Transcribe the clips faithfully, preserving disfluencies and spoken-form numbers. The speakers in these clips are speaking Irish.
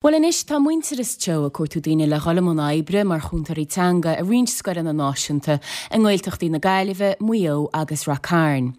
Bhuel anois tá Muintearas Teo ag cuartú daoine le dhul i mbun oibre mar chúntóirí teanga i roinnt scoileanna náisiúnta i nGaeltachtaí na Gaillimhe, Maigh Eo agus Ráth Cairn.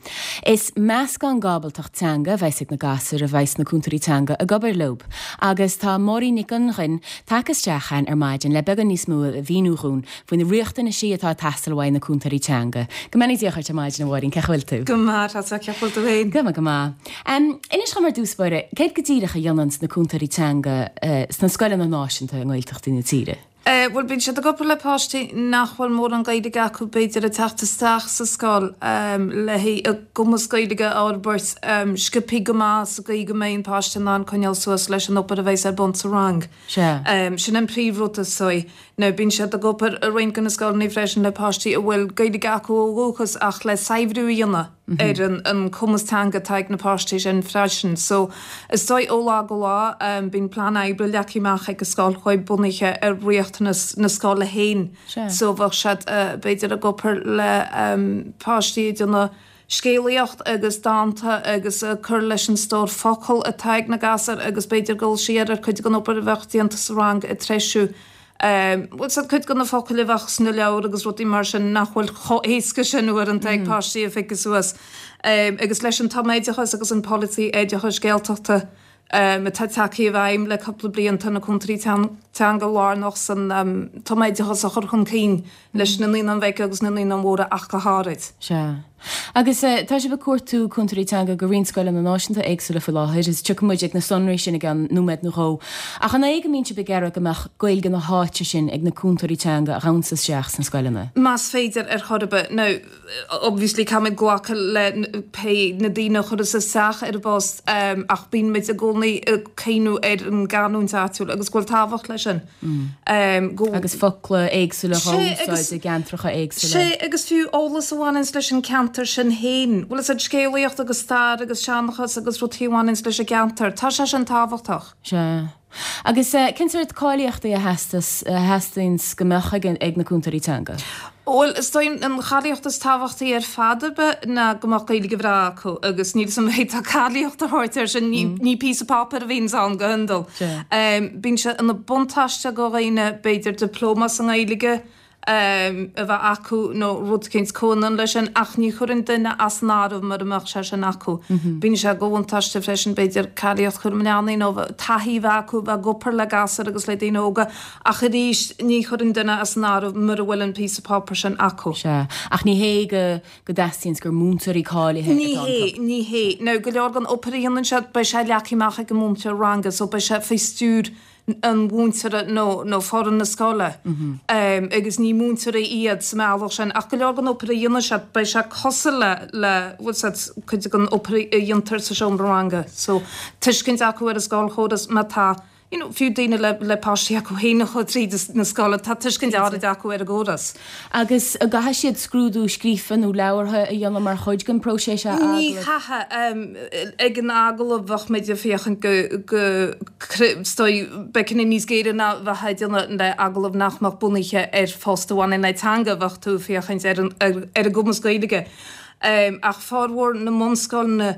Is meascán d'ábaltacht teanga a bheas ag na gasúir a bheas na cúntóirí teanga ag obair leo. Agus tá Máirín Nic Fhionnghain tagtha isteach chugainn ar maidin le beagán níos mó a mhíniú dhúinn faoi na riachtanaisí atá ag teastáil uaidh na cúntóirí teanga. Go mbeannaí Dia dhuit ar maidin a Mháirín, cén chaoi a bhfuil tú? Go maith tá cén chaoi a bhfuil tú féin. Go maith go maith. Um, Inis dhom ar dtús báire, céard go díreach a dhéanann na cúntóirí teanga uh, sna scoileanna náisiúnta i nGaeltachtaí na tíre? Uh, Bhuel bíonn siad ag obair le páistí nach bhfuil mórán Gaeilge acu b'fhéidir ag teacht isteach sa scoil um, le a gcumas Gaeilge a fhorbairt um, sciobtha go maith sa gcaoi go mbeidh an páiste in ann coinneáil suas leis an obair a bheas ar bun sa rang. Se. Um, sin an príomhrud is dóigh. Nó bíonn siad ag obair i roinnt de na scoileanna freisin le páistí a bhfuil Gaeilge acu ó dhúchas ach le saibhriú a dhéanamh mm -hmm. ar an, an cumas teanga atá ag na páistí sin freisin. So is dóigh ó lá go lá um, bíonn plean oibre leagtha amach ag an scoil chuig bunaithe ar riachtanas na scoile féin. So bheadh siad uh, b'fhéidir ag obair le um, páistí ag déanamh scéalaíocht agus dánta agus uh, cur leis an stór focal atá ag na gasúir agus b'fhéidir dul siar ar chuid den obair a bheadh déanta sa rang ag treisiú. Um, Bhuel sa chuid de na focail a bheadh sna leabhair agus rudaí mar sin nach bhfuil chomh héasca sin uaireanta ag páistí a phiocadh suas. Um, agus leis an tumoideachas agus an polasaí oideachais Gaeltachta um, atá tagtha i bhfeidhm le cúpla bliain tá na cúntóirí teanga lárnach san um, tumoideachas a chur chun cinn leis na naíonáin bheaga agus na naíonáin mhóra ach go háirid. Se. Agus uh, tá sibh ag cuartú cúntóirí teanga go roinnt scoileanna náisiúnta éagsúla faoi láthair, is tiocfaidh muid ag na sonraí sin i gceann nóiméad nó dhó. Ach an é go mbíonn sibh ag iarraidh go mbeadh Gaeilge na háite sin ag na cúntóirí teanga a ghabhanns isteach sna scoileanna. Más féidir ar chor ar bith nó obviously caithfimid glacadh le pé na daoine a chuireas isteach ar an bpost um, ach bíonn muid i gcónaí ag cuimhneamh ar an gcanúint áitiúil agus go bhfuil tábhacht leis sin. Mm. Um, go Agus focla éagsúla Sé, agus- úsáid i gceantracha éagsúla. Sé agus fiú eolas a bhaineann leis an ceantar sin féin. Bhfuil a scéalaíocht agus stair agus seanchas agus rudaí a bhaineann leis an gceantar. Tá sé sin tábhachtach. Se. Agus uh, cén sórt cáilíochtaí a theastas a theastaíonn go mbeadh ag, ag na cúntóirí teanga. Bhuel is dóigh an cháilíocht is tábhachtaí ar fad ná go mbeadh Gaeilge bhreá acu agus níl san méid tá cáilíocht a thabhairt air sin ní, ní píosa páipéir a bhíonn ann go hiondúil. Se. Um, bíonn sé ina buntáiste do dhaoine b'fhéidir dioplóma sa nGaeilge um, a bheith acu nó rud éicint comhionann leis sin ach ní chuireann duine as an áireamh mura mbeadh sé sin acu. Mm -hmm. Bíonn sé de bhuntáiste freisin b'fhéidir cáilíocht chúram leanaí nó taithí bheith acu bheith ag obair le gasúir agus le daoine óga ach arís ní chuireann duine as an áireamh mura bhfuil an píosa páipéir sin acu. Se. Ach ní hé go go dteastaíonn gur múinteoirí cáilithe Ní hé ní hé nó go leor den obair a dhéanann siad beidh sé leagtha amach ag an múinteoir ranga so beidh sé faoi stiúir an mhúinteora nó nó foireann na scoile. Mm -hmm. um, agus ní múinteoirí iad sa mbealach sin ach go leor den obair a dhéanann siad beidh sé cosúil le le cuid den obair a dhéantar sa seomra ranga so tuiscint acu ar an scoilchóras má tá you know, fiú daoine le, le páistí acu féin tríd na scoile tá tuiscint áirid acu ar an gcóras. Agus an gcaithfidh siad scrúdú scríofa nó labhartha a dhéanamh mar chuid den próiseas a Ní chaithfidh um, ag an agallamh bheadh muid ag féachaint go go beidh níos géire ná bheith déanamh le agallamh nach mbeadh bunaithe ar phost a bhaineann le teanga bheadh tú ag féachaint ar an, ar, ar a gcumas Gaeilge. Um, ach formhór na mbunscoileanna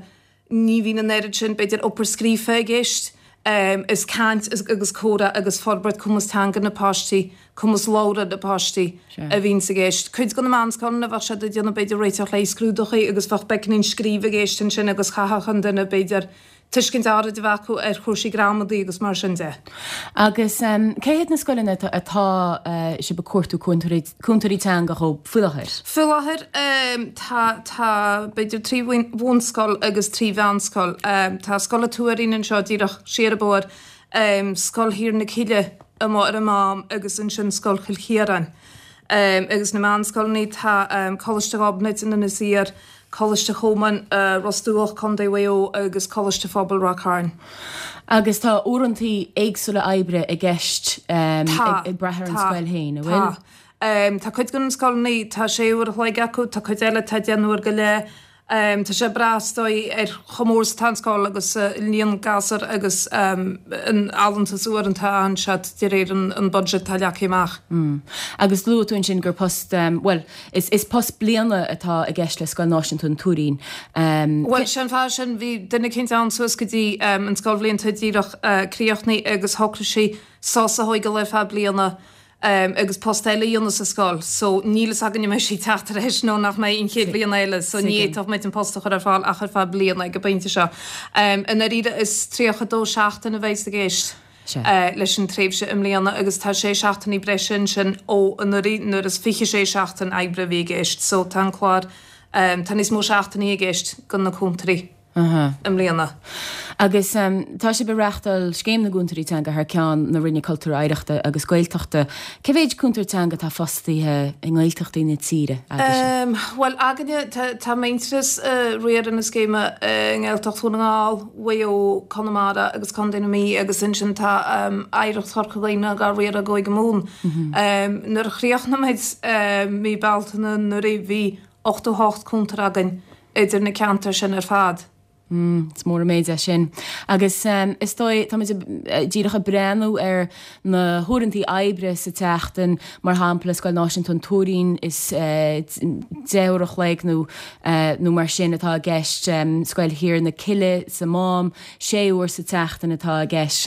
ní bhíonn an oiread sin b'fhéidir obair scríofa i gceist. Um, is caint agus comhrá agus forbairt cumas teanga na páistí, cumas labhartha na páistí a bhíonn i gceist. Cuid de na meánscoileanna bheadh siad ag déanamh b'fhéidir réiteach le scrúduithe agus bheadh beagáinín scríobh i gceist ansin agus chaithfeadh an duine b'fhéidir tuiscint áirid a bheith acu ar chúrsaí gramadaí agus mar sin de. Agus um, cé hiad na scoileanna atá uh, sibh ag cuartú cúntóirí teanga dhóibh faoi láthair? Faoi láthair um, tá tá b'fhéidir trí bhunscoil agus trí mheánscoil. Um, tá Scoil an Tuairín anseo díreach siar an bóthar um, Scoil Thír na Cille amuigh ar an Mám agus ansin Scoil Chill Chiaráin. Um, agus na meánscoileanna tá um, Coláiste Ghobnait in Inis Oírr, Coláiste Chomáin uh, Ros Dumhach Contae Mhaigh Eo agus Coláiste Phobail Ráth Cairn. Agus tá uaireanta éagsúla oibre i gceist um, ag, ag brath ar an scoil féin, an bhfuil? Um, tá cuid den scoileanna tá sé uair a chloig acu, tá cuid eile tá deich n-uair go leith. Tá sé ag brath is dóigh ar chomh mór is atá an scoil agus líon gasúr agus an allúntas uaireanta a fhaigheann siad de réir an budget atá leagtha amach. Agus luaigh tú ansin gur post, bhuel, is post bliana atá i gceist le Scoil Náisiúnta an Tuairín. Bhuel, sé an fáth sin, bhí duine eicínt ann suas go dtí an scoilbhliain atá díreach críochnaithe agus shocraigh sí sos a thógáil ar feadh bliana agus post eile a dhéanamh sa scoil so níl fhios againn an mbeidh sí ag teacht ar ais nó nach mbeidh an chéad bhliain eile so ní fhéadfadh muid an post a chur ar fáil ach ar feadh bliana ag an bpointe seo. I ndáiríre is tríocha dó seachtain a bheidh i gceist leis an tréimhse i mbliana agus tá sé seachtainí breise ansin ó anuraidh nuair is fiche sé seachtain oibre a bhí i gceist so tá an clár tá níos mó seachtainí i gceist do na cúntóirí. i mbliana. Agus tá sibh ag reáchtáil Scéim na gCúntóirí Teanga thar ceann na Roinne Cultúir, Oidhreachta agus Gaeltachta. Cé mhéid cúntóir teanga atá fostaithe i nGaeltachtaí na tíre agaibhse? Bhuel, againne, tá Muintearas ag riar na scéime i nGaeltacht Dhún na nGall, Mhaigh Eo, Conamara agus Contae na Mí agus ansin tá Oidhreacht Chorca Dhuibhne dhá riar i gCúige Mumhan. Nuair a chríochnaigh muid mí Bealtaine anuraidh bhí ochtó hocht cúntóir againn idir na ceantair sin ar fad. Is mór an méid é sin. Agus is dóigh, táimid díreach ag breathnú ar na huaireantaí oibre sa tseachtain, mar shampla, Scoil Náisiúnta an Tuairín, is deich uair a chloig nó nó mar sin atá i gceist, Scoil Thiar na Cille sa Mám, sé uair sa tseachtain atá i gceist.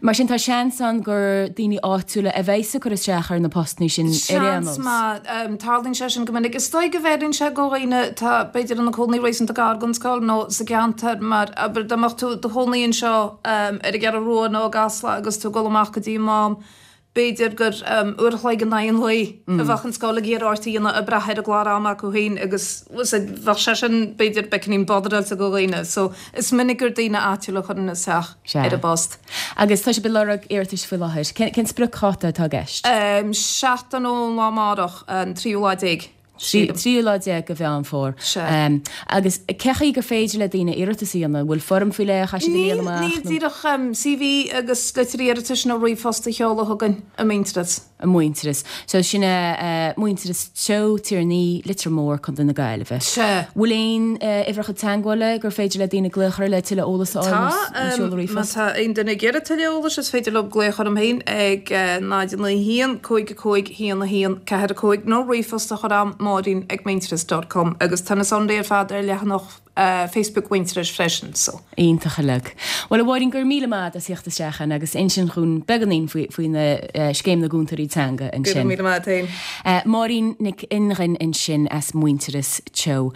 Mar sin tá seans ann gur daoine áitiúla a bheas ag cur isteach ar na postanna sin ar aon nós. Seans maith. Tarlaíonn sé sin go minic. Is dóigh go bhfeileann sé do dhaoine atá b'fhéidir ina gcónaí réasúnta gar don scoil nó sa gceantar mar abair dá mbeadh tú i do chónaí anseo ar an gCeathrú Rua nó i gCasla agus tú ag dul amach go dtí an Mám, b'fhéidir gur uair a chloig in aghaidh an lae a bheadh an scoil ag iarraidh ort a dhéanamh ag brath ar an gclár ama acu féin agus bheadh sé sin b'fhéidir beagáinín bodaráilte do dhaoine so is minic gur daoine áitiúla a chuireann isteach ar an bpost. Agus tá sibh ag lorg iarratais faoi láthair. Cén spriocdháta atá i gceist? Seachtain ón lá amárach, an tríú lá déag. Tríú lá déag de Mheán Fómhair. Sea. Agus cé chaoi gur féidir le daoine iarratas a dhéanamh? An bhfuil foirm faoi leith a chaithfidh siad a líonadh amach? Níl, níl, díreach CV agus litir iarratais nó ríomhphost a sheoladh chugainn i Muintearas. I Muintearas. So sin é Muintearas Teo, Tír an Fhia, Leitir Móir, Contae na Gaillimhe. Sea. Bhfuil aon uimhreacha teagmhála gur féidir le daoine glaoch orthu le tuilleadh eolais a fháil nó seoladh ríomhphost? Tá, má tá aon duine ag iarraidh tuilleadh eolais is féidir leo glaoch orm féin ag náid a naoi haon, cúig a cúig, haon a haon, ceathair a cúig nó ríomhphost a chur a'm Máirín ag Muintearas dot com agus tá na sonraí ar fad ar leathanach Facebook Mhuintearais freisin so. Iontach uilig. Bhuel a Mháirín go raibh míle maith agat as theacht isteach ann agus insint dhúinn beagáinín faoi faoi na Scéim na gCúntóirí Teanga ansin. Go raibh míle maith agat féin. Máirín Nic Fhionnghain ansin as Muintearas Teo.